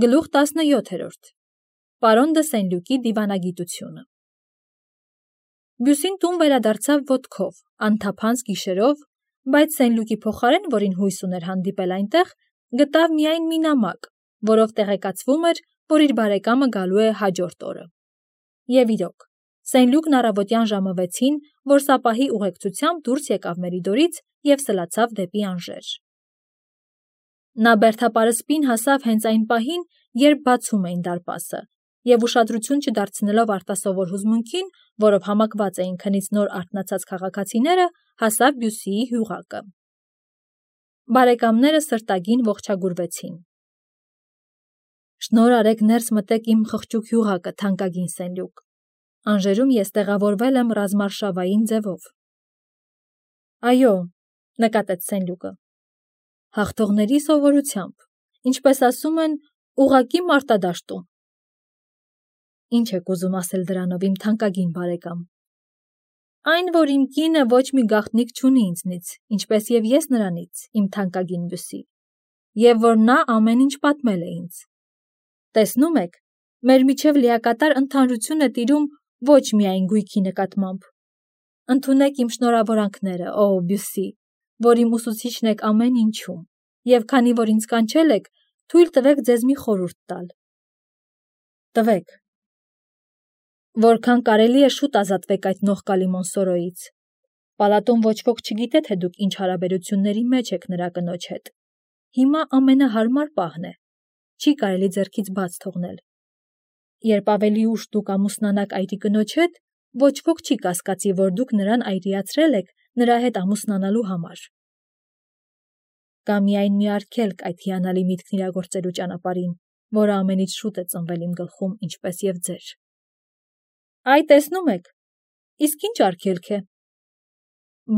Գլուխ 17. Պարոն դը Սենլյուկի դիվանագիտությունը։ Բյուսին տուն վերադարձավ ոտքով, անթափանց գիշերով, բայց Սենլյուկի փոխարեն, որին հույս ուներ հանդիպել այնտեղ, գտավ միայն մի նամակ, որով տեղեկացվում էր, որ իր բարեկամը գալու է հաջորդ օրը։ Եվ իրոք, Սենլյուկն առավոտյան ժամը 6-ին, որ սապահի ուղեկցությամբ դուրս եկավ Մերիդորից և սլացավ դեպի Անժեր։ Նա բերդապարսպին հասավ հենց այն պահին, երբ բացում էին դարպասը, և ուշադրություն չդարձնելով արտասովոր հուզմունքին, որով համակված էին քնից նոր արթնացած քաղաքացիները, հասավ Բյուսիի հյուղակը։ Բարեկամները սրտագին ողջագուրվեցին։ Շնորհ արեք ներս մտեք իմ խղճուկ հյուղակը, թանկագին Սենլյուկ։ Անժերում ես տեղավորվել եմ ռազմարշավային ձևով։ Այո, նկատեց Սենլյուկը։ Հաղթողների սովորությամբ, ինչպես ասում են, ուղղակի մարտադաշտում։ Ինչ եք ուզում ասել դրանով, իմ թանկագին բարեկամ։ Այն, որ իմ կինը ոչ մի գաղտնիք չունի ինձնից, ինչպես և ես նրանից, իմ թանկագին Բյուսի, և որ նա ամեն ինչ պատմել է ինձ։ Տեսնում եք, մեր միջև լիակատար ընդհանրություն է տիրում ոչ միայն գույքի նկատմամբ։ Ընդունեք իմ շնորհավորանքները, ո Բյուսի, որ իմ ուսուցիչն եք ամեն ինչում, և քանի որ ինձ կանչել եք, թույլ տվեք ձեզ մի խորհուրդ տալ։ Տվեք։ Որքան կարելի է շուտ ազատվեք այդ նողկալի Մոնսորոյից։ Պալատում ոչ ոք չգիտե, թե դուք ինչ հարաբերությունների մեջ եք նրա կնոջ հետ։ Հիմա ամենահարմար պահն է։ Չի կարելի ձեռքից բաց թողնել։ Երբ ավելի ուշ դուք ամուսնանաք այրի կնոջ հետ, ոչ ոք չի կասկածի, որ դուք նրան այրիացրել եք նրա հետ ամուսնանալու համար։ Կա միայն մի արգելք այդ հիանալի միտքն իրագործելու ճանապարհին, որը ամենից շուտ է ծնվել իմ գլխում, ինչպես և ձեր։ Այ տեսնում եք, իսկ ինչ արգելք է։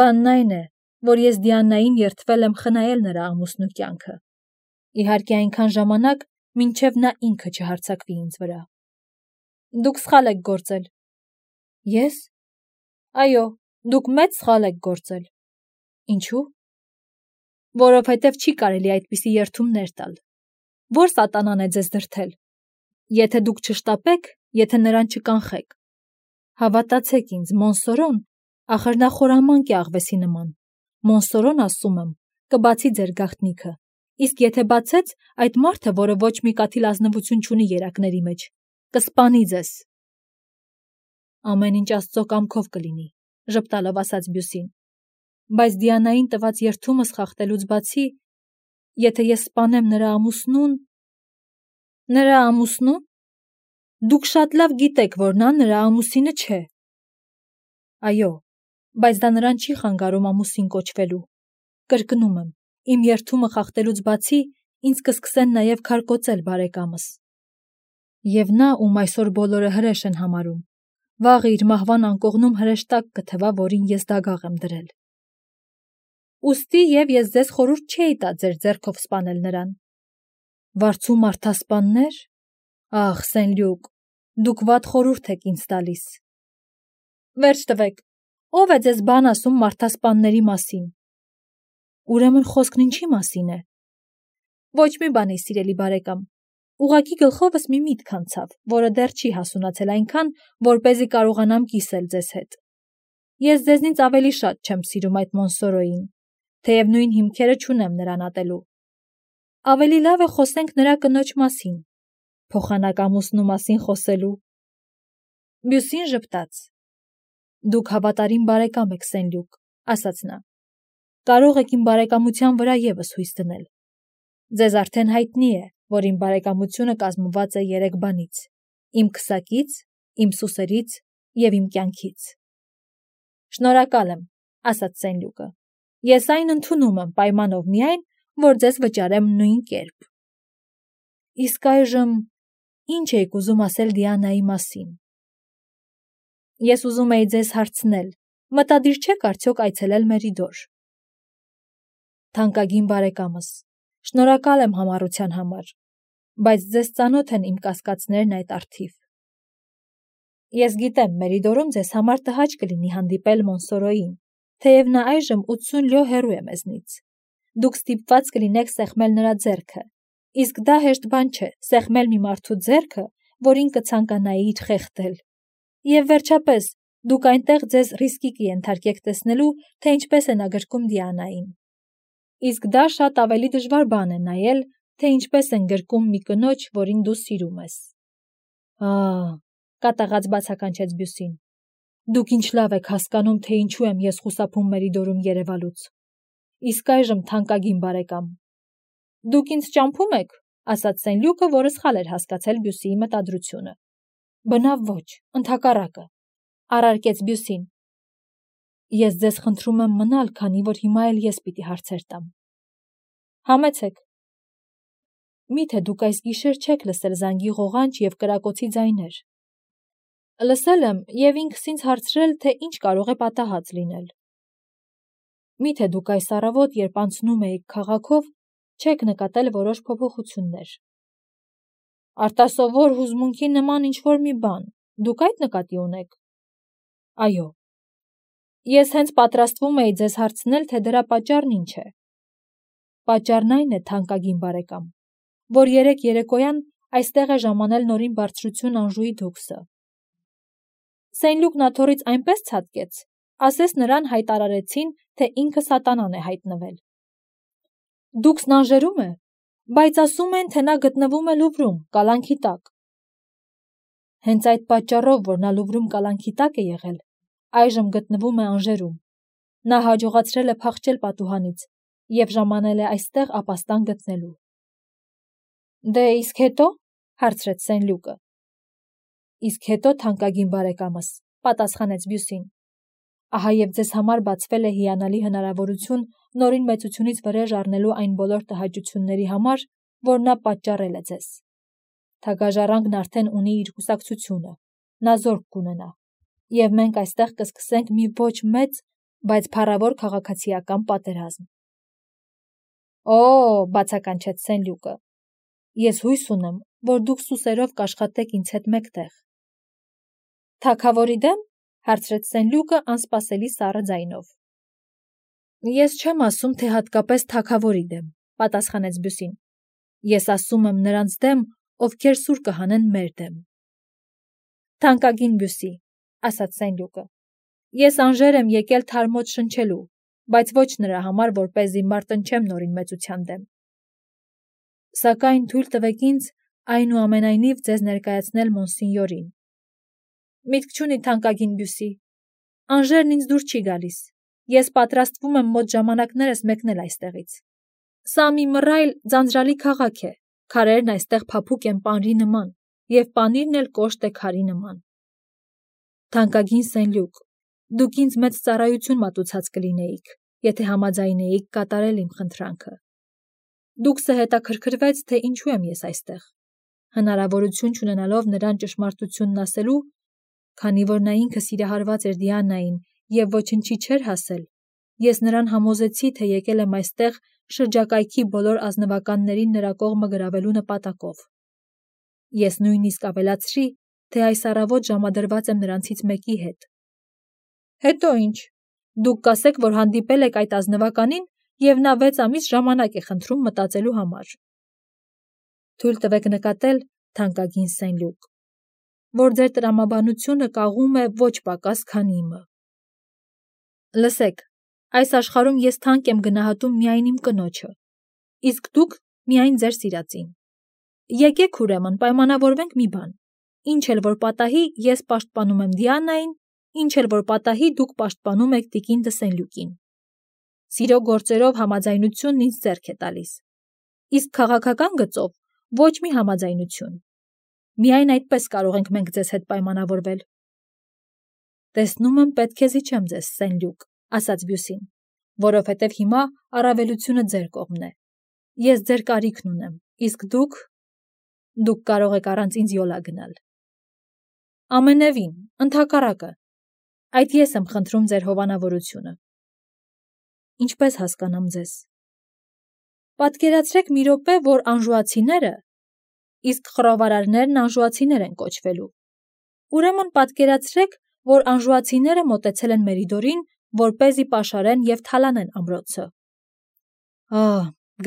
Բանն այն է, որ ես Դիանային երդվել եմ խնայել նրա ամուսնու կյանքը։ Իհարկե այնքան ժամանակ, մինչև նա ինքը չհարձակվի ինձ վրա։ Դուք սխալ եք գործել։ Ես։ Այո, դուք մեծ սխալ եք գործել։ Ինչու՞։ Որովհետև չի կարելի այդպիսի երդումներ տալ։ Ո՞ր սատանան է ձեզ դրդել։ Եթե դուք չշտապեք, եթե նրան չկանխեք։ Հավատացեք ինձ, Մոնսորոն, ախր նա խորամանկ է աղվեսի նման։ Մոնսորոն, ասում եմ, կբացի ձեր գաղտնիքը, իսկ եթե բացեց, այդ մարդը, որը ոչ մի կաթիլ ազնվություն չունի երակների մեջ, կսպանի ձեզ։ Ամեն ինչ Աստծո կամքով կլինի, ժպտալով ասաց Բյուսին։ Բայց Դիանային տված երդումս խախտելուց բացի, եթե ես սպանեմ նրա ամուսնուն… Նրա ամուսնու՞ն։ Դուք շատ լավ գիտեք, որ նա նրա ամուսինը չէ։ Այո, բայց դա նրան չի խանգարում ամուսին կոչվելու։ Կրկնում եմ, իմ երդումը խախտելուց բացի, ինձ կսկսեն նաև քարկոծել բարեկամս։ Եվ նա, ում այսօր բոլորը հրեշ են համարում, վաղը իր մահվան անկողնում հրեշտակ կթվա, որին ես դագաղ եմ դրել։ Ուստի և ես ձեզ խորհուրդ չէի տա ձեր ձեռքով սպանել նրան։ Վարձու մարդասպաննե՞ր։ Ախ, Սենլյուկ, դուք վատ խորհուրդ եք ինձ տալիս։ Վերջ տվեք, ո՞վ է ձեզ բան ասում մարդասպանների մասին։ Ուրեմն խոսքն ինչի մասին է։ Ոչ մի բանի, սիրելի բարեկամ։ Ուղղակի գլխովս մի միտք անցավ, որը դեռ չի հասունացել այնքան, որպեսզի կարողանամ կիսել ձեզ հետ։ Ես ձեզնից ավելի շատ չեմ սիրում այդ Մոնսորոյին, թեև նույն հիմքերը չունեմ նրան ատելու։ Ավելի լավ է խոսենք նրա կնոջ մասին, փոխանակ ամուսնու մասին խոսելու։ Բյուսին ժպտաց։ Դուք հավատարիմ բարեկամ եք, Սենլյուկ, ասաց նա։ Կարող եք իմ բարեկամության վրա ևս հույս դնել։ Ձեզ արդեն հայտնի է, որ իմ բարեկամությունը կազմված է 3 բանից. իմ քսակից, իմ սուսերից և իմ կյանքից։ Շնորհակալ եմ, ասաց Սենլյուկը։ Ես այն ընդունում եմ պայմանով միայն, որ ձեզ վճարեմ նույն կերպ։ Իսկ այժմ ինչ եք ուզում ասել Դիանայի մասին։ Ես ուզում էի ձեզ հարցնել, մտադիր չեք արդյոք այցելել Մերիդոր։ Թանկագին բարեկամս, շնորհակալ եմ համառության համար, բայց ձեզ ծանոթ են իմ կասկածներն այդ առթիվ։ Ես գիտեմ, Մերիդորում ձեզ համար տհաճ կլինի հանդիպել Մոնսորոյին, թեև նա այժմ 80 լյո հեռու է մեզնից։ Դուք ստիպված կլինեք սեղմել նրա ձեռքը, Իսկ դա հեշտ բան չէ, սեղմել մի մարդու ձեռքը, որին կցանկանայիր խեղդել։ Եվ վերջապես, դուք այնտեղ ձեզ ռիսկի կենթարկեք տեսնելու, թե ինչպես է նա գրկում Դիանային։ Իսկ դա շատ ավելի դժվար բան է նայել, թե ինչպես են գրկում մի կնոջ, որին դու սիրում ես։ Կատաղած բացականչեց Բյուսին։ Դուք ինչ լավ եք հասկանում, թե ինչու եմ ես խուսափում Մերիդորում երևալուց։ Իսկ այժմ թանկագին բարեկամ։ Դուք ինձ ճամփում եք, ասաց Սենլյուկը, որը սխալ էր հասկացել Բյուսիի մտադրությունը։ Բնավ ոչ, ընդհակառակը, առարկեց Բյուսին։ Ես ձեզ խնդրում եմ մնալ, քանի որ հիմա էլ ես պիտի հարցեր տամ։ Համեցեք։ Միթե դուք այս գիշեր չեք լսել զանգի ղողանջ եւ կրակոցի ձայներ։ Լսել եմ եւ ինքս ինձ հարցրել, թե ինչ կարող է պատահած լինել։ Միթե դուք այս առավոտ, երբ անցնում էիք քաղաքով, չեք նկատել որոշ փոփոխություններ։ Արտասովոր հուզմունքի նման ինչ-որ մի բան, դուք այդ նկատի ունեք։ Այո։ Ես հենց պատրաստվում էի ձեզ հարցնել, թե դրա պատճառն ինչ է։ Պատճառն այն է, թանկագին բարեկամ, որ երեկ երեկոյան այստեղ է ժամանել նորին բարձրություն Անժուի դուքսը։ Սենլյուկն աթոռից այնպես ցատկեց, ասես նրան հայտարարեցին, թե ինքը սատանան է հայտնվել։ Դուքսն Անժերում է, բայց ասում են, թե նա գտնվում է Լուվրում, կալանքի տակ։ Հենց այդ պատճառով, որ նա Լուվրում կալանքի տակ է եղել, այժմ գտնվում է Անժերում։ Նա հաջողացրել է փախչել պատուհանից եւ ժամանել է այստեղ ապաստան գտնելու։ Դե իսկ հետո, հարցրեց Սենլյուկը։ Իսկ հետո, թանկագին բարեկամս, պատասխանեց Բյուսին։ Ահա եւ ձեզ համար բացվել է հիանալի հնարավորություն նորին մեծությունից վրեժ առնելու այն բոլոր տհաճությունների համար, որ նա պատճառել է ձեզ։ Թագաժառանգն արդեն ունի իր կուսակցությունը, նա զորք կունենա, եւ մենք այստեղ կսկսենք մի ոչ մեծ, բայց փառավոր քաղաքացիական պատերազմ։ Բացականչեց Սենլյուկը։ Ես հույս ունեմ, որ դուք սուսերով կաշխատեք ինձ հետ մեկտեղ։ Թագավորի դեմ, հարցրեց Սենլյուկը անսպասելի սառը ձայնով։ Ես չեմ ասում, թե հատկապես թագավորի դեմ, պատասխանեց Բյուսին։ Ես ասում եմ նրանց դեմ, ովքեր սուր կհանեն մեր դեմ։ Թանկագին Բյուսի, ասաց Սենլյուկը։ Ես Անժեր եմ եկել թարմոց շնչելու, բայց ոչ նրա համար, որպեսզի մարտնչեմ նորին մեծության դեմ։ Սակայն թույլ տվեք ինձ այնուամենայնիվ ձեզ ներկայացնել մոնսինյորին։ Միտք չունի թանկագին Բյուսի։ Անժերն ինձ դուր չի գալիս։ Ես պատրաստվում եմ մոտ ժամանակներս մեկնել այստեղից։ Սա մի մռայլ ձանձրալի քաղաք է, քարերն այստեղ փափուկ են պանրի նման, եւ պանիրն էլ կոշտ է քարի նման։ Թանկագին Սենլյուկ, դուք ինձ մեծ ծառայություն մատուցած կլինեիք, եթե համաձայնեիք կատարել իմ խնդրանքը։ Դուքսը հետաքրքրվեց, թե ինչու եմ ես այստեղ, հնարավորություն չունենալով նրան ճշմարտությունն ասելու, քանի որ նա ինքը սիրահարված էր Դիանային եւ ոչնչի չէր հասել, ես նրան համոզեցի, թե եկել եմ այստեղ շրջակայքի բոլոր ազնվականներին նրա կողմը գրավելու նպատակով։ Ես նույնիսկ ավելացրի, թե այս առավոտ ժամադրված եմ նրանցից մեկի հետ։ Հետո ինչ, դուք կասեք, որ հանդիպել եք այդ ազնվականին եւ նա 6 ամիս ժամանակ է խնդրում մտածելու համար։ Թույլ տվեք նկատել, թանկագին Սենլյուկ, որ ձեր տրամաբանությունը կաղում է ոչ պակաս, քան իմը։ Լսեք, այս աշխարհում ես թանկ եմ գնահատում միայն իմ կնոջը, իսկ դուք միայն ձեր սիրածին։ Եկեք ուրեմն պայմանավորվենք մի բան. ինչ էլ որ պատահի, ես պաշտպանում եմ Դիանային, ինչ էլ որ պատահի, դուք պաշտպանում եք տիկին դը Սենլյուկին։ Սիրո գործերով համաձայնությունն ինձ ձեռք է տալիս, իսկ քաղաքական գծով ոչ մի համաձայնություն։ Միայն այդպես կարող ենք մենք ձեզ հետ պայմանավորվել։ Տեսնում եմ, պետք է զիջեմ ձեզ, Սենլյուկ, ասաց Բյուսին, որովհետև հիմա առավելությունը ձեր կողմն է։ Ես ձեր կարիքն ունեմ, իսկ դուք կարող եք առանց ինձ յոլա գնալ։ Ամենևին, ընդհակառակը, այդ ես եմ խնդրում ձեր հովանավորությունը։ Ինչպես հասկանամ ձեզ։ Պատկերացրեք մի րոպե, որ անժուացիները, իսկ խռովարարներն անժուացիներ են կոչվելու։ Ուրեմն պատկերացրեք, որ անժուացիները մոտեցել են Մերիդորին, որպեսզի պաշարեն եւ թալանեն ամրոցը։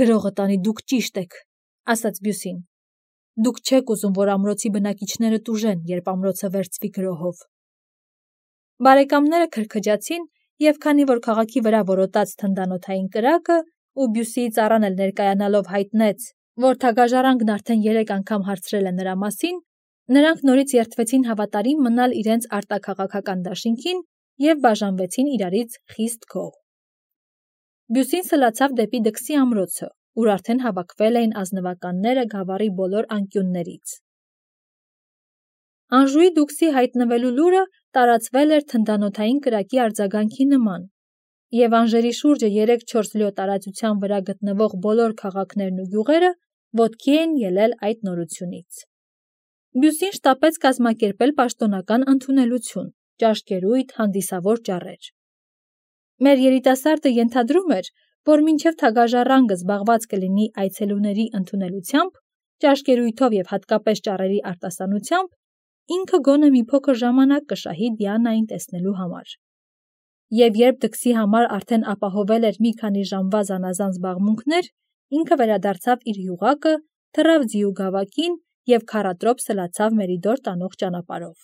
Գրողը տանի, դուք ճիշտ եք, ասաց Բյուսին։ Դուք չեք ուզում, որ ամրոցի բնակիչները տուժեն, երբ ամրոցը վերցվի գրոհով։ Բարեկամները քրքջացին, եւ քանի որ քաղաքի վրա որոտաց թնդանոթային կրակը, ու Բյուսիի ծառան էլ ներկայանալով հայտնեց, որ թագաժառանգն արդեն 3 անգամ հարցրել է նրա մասին, նրանք նորից երդվեցին հավատարիմ մնալ իրենց արտաքաղաքական դաշինքին եւ բաժանվեցին իրարից խիստ գոհ։ Բյուսին սլացավ դեպի Դքսի ամրոցը, ուր արդեն հավաքվել էին ազնվականները գավառի բոլոր անկյուններից։ Անժուի Դուքսի հայտնվելու լուրը տարածվել էր թնդանոթային կրակի արձագանքի նման, եւ Անժերի շուրջը 3-4 լյո տարածության վրա գտնվող բոլոր քաղաքներն ու գյուղերը ոտքի էին ելել այդ նորությունից։ Բյուսին շտապեց կազմակերպել պաշտոնական ընդունելություն, ճաշկերույթ, հանդիսավոր ճառեր։ Մեր երիտասարդը ենթադրում էր, որ մինչև թագաժառանգը զբաղված կլինի այցելուների ընդունելությամբ, ճաշկերույթով եւ հատկապես ճառերի արտասանությամբ, ինքը գոնե մի փոքր ժամանակ կշահի Դիանային տեսնելու համար։ Եվ երբ Դքսի համար արդեն ապահովել էր մի քանի ժամվա զանազան զբաղմունքներ, ինքը վերադարձավ իր յուղակը, թռավ ձիու գավակին եւ քառատրոփ սլացավ Մերիդոր տանող ճանապարհով։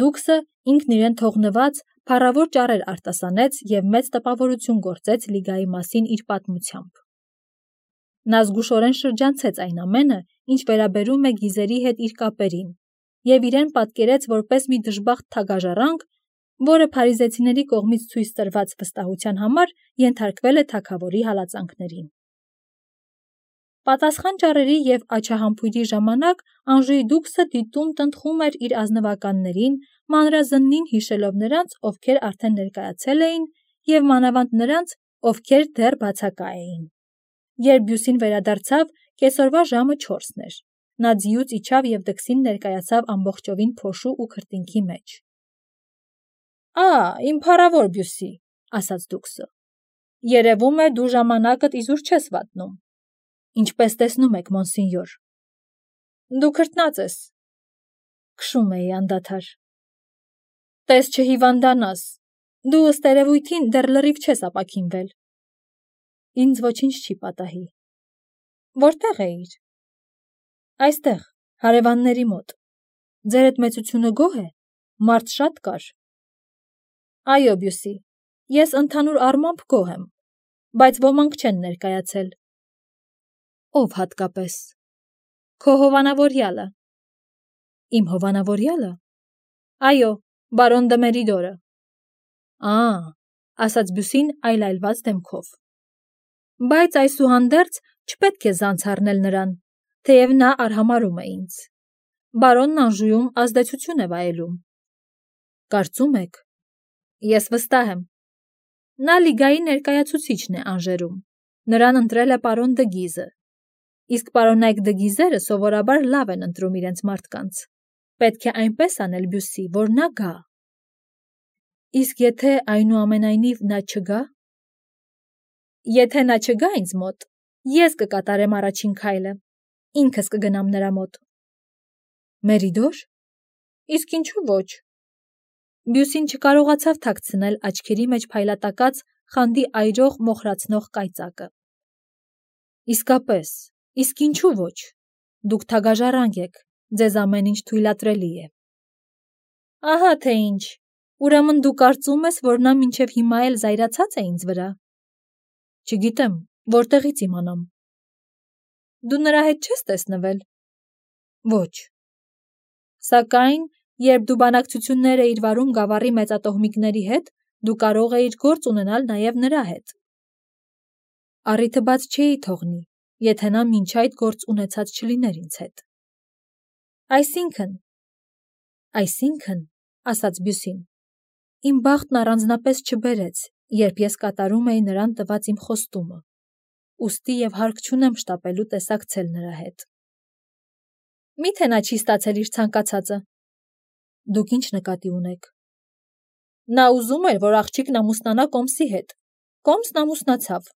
Դուքսը ինքն իրեն թողնված փառավոր ճառեր արտասանեց եւ մեծ տպավորություն գործեց Լիգայի մասին իր պատմությամբ։ Նա զգուշորեն շրջանցեց այն ամենը, ինչ վերաբերում է գիզերի հետ իր կապերին, եւ իրեն պատկերեց որպես մի դժբախտ թագաժառանգ, որը փարիզեցիների կողմից ցույց տրված վստահության համար ենթարկվել է թագավորի հալածանքներին։ Պատասխան ճառերի եւ աչահամբույրի ժամանակ Անժուի Դուքսը դիտում տնտղում էր իր ազնվականներին, մանրազննին հիշելով նրանց, ովքեր արդեն ներկայացել էին, եւ մանավանդ նրանց, ովքեր դեռ բացակա էին։ Երբ Բյուսին վերադարձավ, կեսօրվա ժամը 4-ն էր։ Նա ձիուց իջավ եւ Դքսին ներկայացավ ամբողջովին փոշու ու քրտինքի մեջ։ Իմ փառավոր Բյուսի, ասաց Դուքսը։ Երևում է դու ժամանակդ իզուր չես վատնում։ Ինչպես տեսնում եք, մոնսինյոր։ Դու քրտնած ես։ Քշում էի անդադար։ Տես չհիվանդանաս։ Դու ըստ երևույթին դեռ լրիվ չես ապաքինվել։ Ինձ ոչինչ չի պատահի։ Որտեղ էիր։ Այստեղ, հարևանների մոտ։ Ձերդ մեծությունը գոհ է։ Մարդ շատ կար։ Այո, Բյուսի, ես ընդհանուր առմամբ գոհ եմ, բայց ոմանք չեն ներկայացել։ Ով հատկապես։ Քո հովանավորյալը։ Իմ հովանավորյալը։ Այո, բարոն դը Մերիդորը։ Ասաց Բյուսին այլայլված դեմքով։ Բայց այսուհանդերձ չպետք է զանց առնել նրան, թեև նա արհամարհում է ինձ։ Բարոնն Անժուում ազդեցություն է վայելում։ Կարծում եք։ Ես վստահ եմ։ Նա Լիգայի ներկայացուցիչն է Անժերում։ Նրան ընտրել է պարոն դը Գիզը։ Իսկ պարոնայք դը Գիզերը սովորաբար լավ են ընտրում իրենց մարդկանց։ Պետք է այնպես անել, Բյուսի, որ նա գա։ Իսկ եթե այնուամենայնիվ նա չգա։ Եթե նա չգա ինձ մոտ, ես կկատարեմ առաջին քայլը։ Ինքս կգնամ նրա մոտ։ Մերիդոր։ Իսկ ինչու ոչ։ Բյուսին չկարողացավ թաքցնել աչքերի մեջ փայլատակած խանդի այրող մոխրացնող կայծակը։ Իսկապես, իսկ ինչու ոչ։ Դուք թագաժառանգ եք, ձեզ ամեն ինչ թույլատրելի է։ Ահա թե ինչ։ Ուրեմն դու կարծում ես, որ նա մինչև հիմա էլ զայրացած է ինձ վրա։ Չգիտեմ, որտեղից իմանամ։ Դու նրա հետ չես տեսնվել։ Ոչ։ Սակայն, երբ դու բանակցություններ էիր վարում գավառի մեծատոհմիկների հետ, դու կարող էիր գործ ունենալ նաև նրա հետ։ Առիթը բաց չէի թողնի, եթե նա մինչ այդ գործ ունեցած չլիներ ինձ հետ։ Այսինքն, ասաց Բյուսին, իմ բախտն առանձնապես չբերեց, երբ ես կատարում էի նրան տված իմ խոստումը, ուստի եւ հարկ չունեմ շտապելու տեսակցել նրա հետ։ Միթե նա չի ստացել իր ցանկացածը։ Դուք ինչ նկատի ունեք։ Նա ուզում էր, որ աղջիկն ամուսնանա Կոմսի հետ։ Կոմսն ամուսնացավ։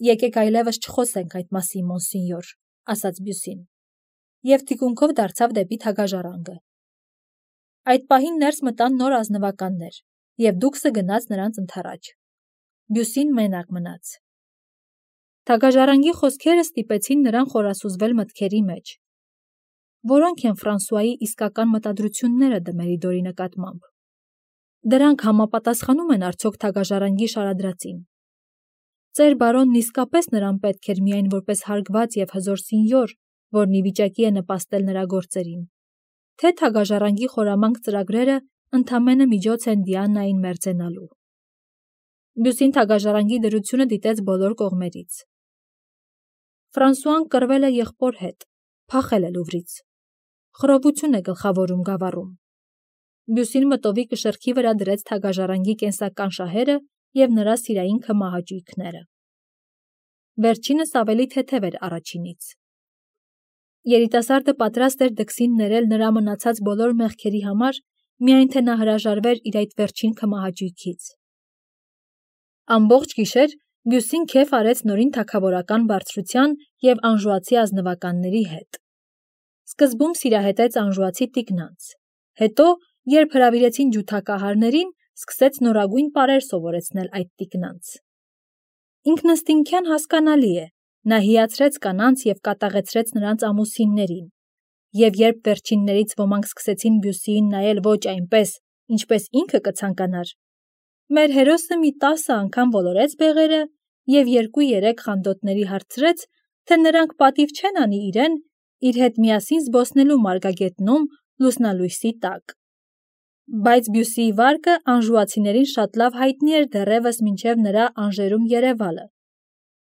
Եկեք այլևս չխոսենք այդ մասին, մոնսինյոր, ասաց Բյուսին, եւ թիկունքով դարձավ դեպի թագաժառանգը։ Այդ պահին ներս մտան նոր ազնվականներ, եւ Դուքսը գնաց նրանց ընդառաջ։ Բյուսին մենակ մնաց։ Թագաժարանգի խոսքերը ստիպեցին նրան խորասուզվել մտքերի մեջ։ Որոնք են Ֆրանսուայի իսկական մտադրությունները Դմերիդորի նկատմամբ։ Դրանք համապատասխանում են արդյոք թագաժարանգի շարադրածին։ Ծեր բարոնն իսկապես նրան պետք էր միայն որպես հարգված և հզոր սինյոր, որն ի վիճակի է նպաստել նրա գործերին, թե թագաժարանգի խորամանկ ծրագրերը ընդամենը միջոց են Դիանային մերձենալու։ Բյուսին թագաժարանգի դրությունը դիտեց բոլոր կողմերից։ Ֆրանսուան կռվել է եղբոր հետ, փախել է Լուվրից։ Խռովություն է գլխավորում գավառում։ Բյուսին մտովի կշռքի վրա դրեց թագաժարանգի կենսական շահերը և նրա սիրային քմահաճույքները։ Վերջինս ավելի թեթև էր առաջինից։ Երիտասարդը պատրաստ էր դքսին ներել նրա մնացած բոլոր մեղքերի համար, միայն թե նա հրաժարվեր իր այդ վերջին քմահաճույքից։ Ամբողջ գիշեր Բյուսին քեֆ արեց նորին թագավորական բարձրության և անժուացի ազնվականների հետ։ Սկզբում սիրահետեց անժուացի տիկնանց, հետո, երբ հրավիրեցին ջութակահարներին, սկսեց նորագույն պարեր սովորեցնել այդ տիկնանց։ Ինքնըստինքյան հասկանալի է, նա հիացրեց կանանց և կատաղեցրեց նրանց ամուսիններին, և երբ վերջիններից ոմանք սկսեցին Բյուսիին նայել ոչ այնպես, ինչպես ինքը կցանկանար, մեր հերոսը մի 10 անգամ ոլորեց բեղերը և 2-3 խանդոտների հարցրեց, թե նրանք պատիվ չեն անի իրեն իր հետ միասին զբոսնելու մարգագետնում լուսնալույսի տակ։ Բայց Բյուսիի վարկը անժուացիներին շատ լավ հայտնի էր դեռևս մինչև նրա Անժերում երևալը,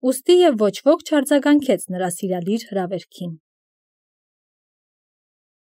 ուստի և ոչ ոք չարձագանքեց նրա սիրալիր հրավերքին։